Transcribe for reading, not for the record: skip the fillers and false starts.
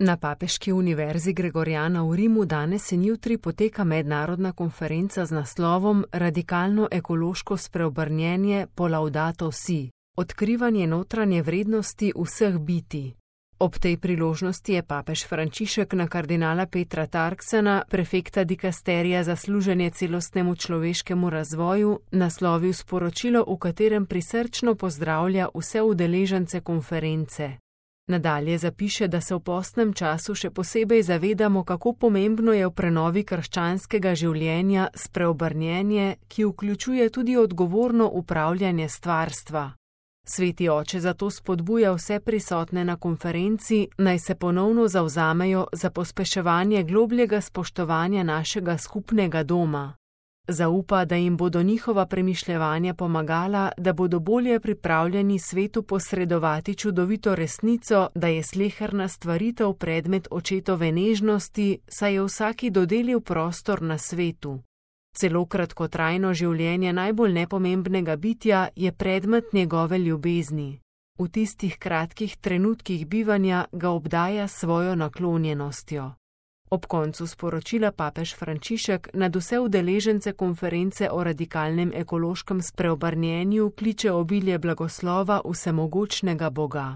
Na Papeški univerzi Gregoriana v Rimu danes in jutri poteka mednarodna konferenca z naslovom Radikalno ekološko spreobrnjenje po Laudato Si, odkrivanje notranje vrednosti vseh bitij. Ob tej priložnosti je papež Frančišek na kardinala Petra Turksena, prefekta dikasterija za služenje celostnemu človeškemu razvoju, naslovil sporočilo, v katerem prisrčno pozdravlja vse udeležence konference. Nadalje zapiše, da se v postnem času še posebej zavedamo, kako pomembno je v prenovi krščanskega življenja spreobrnjenje, ki vključuje tudi odgovorno upravljanje stvarstva. Sveti oče zato spodbuja vse prisotne na konferenci, naj se ponovno zavzamejo za pospeševanje globljega spoštovanja našega skupnega doma. Zaupa, da jim bodo njihova premišljevanja pomagala, da bodo bolje pripravljeni svetu posredovati čudovito resnico, da je sleherna stvaritev predmet očetove nežnosti, saj je vsaki dodelil prostor na svetu. Celo kratkotrajno življenje najbolj nepomembnega bitja je predmet njegove ljubezni. V tistih kratkih trenutkih bivanja ga obdaja s svojo naklonjenostjo. Ob koncu sporočila papež Frančišek nad vse udeležence konference o radikalnem ekološkem spreobrnjenju kliče obilje blagoslova vsemogočnega Boga.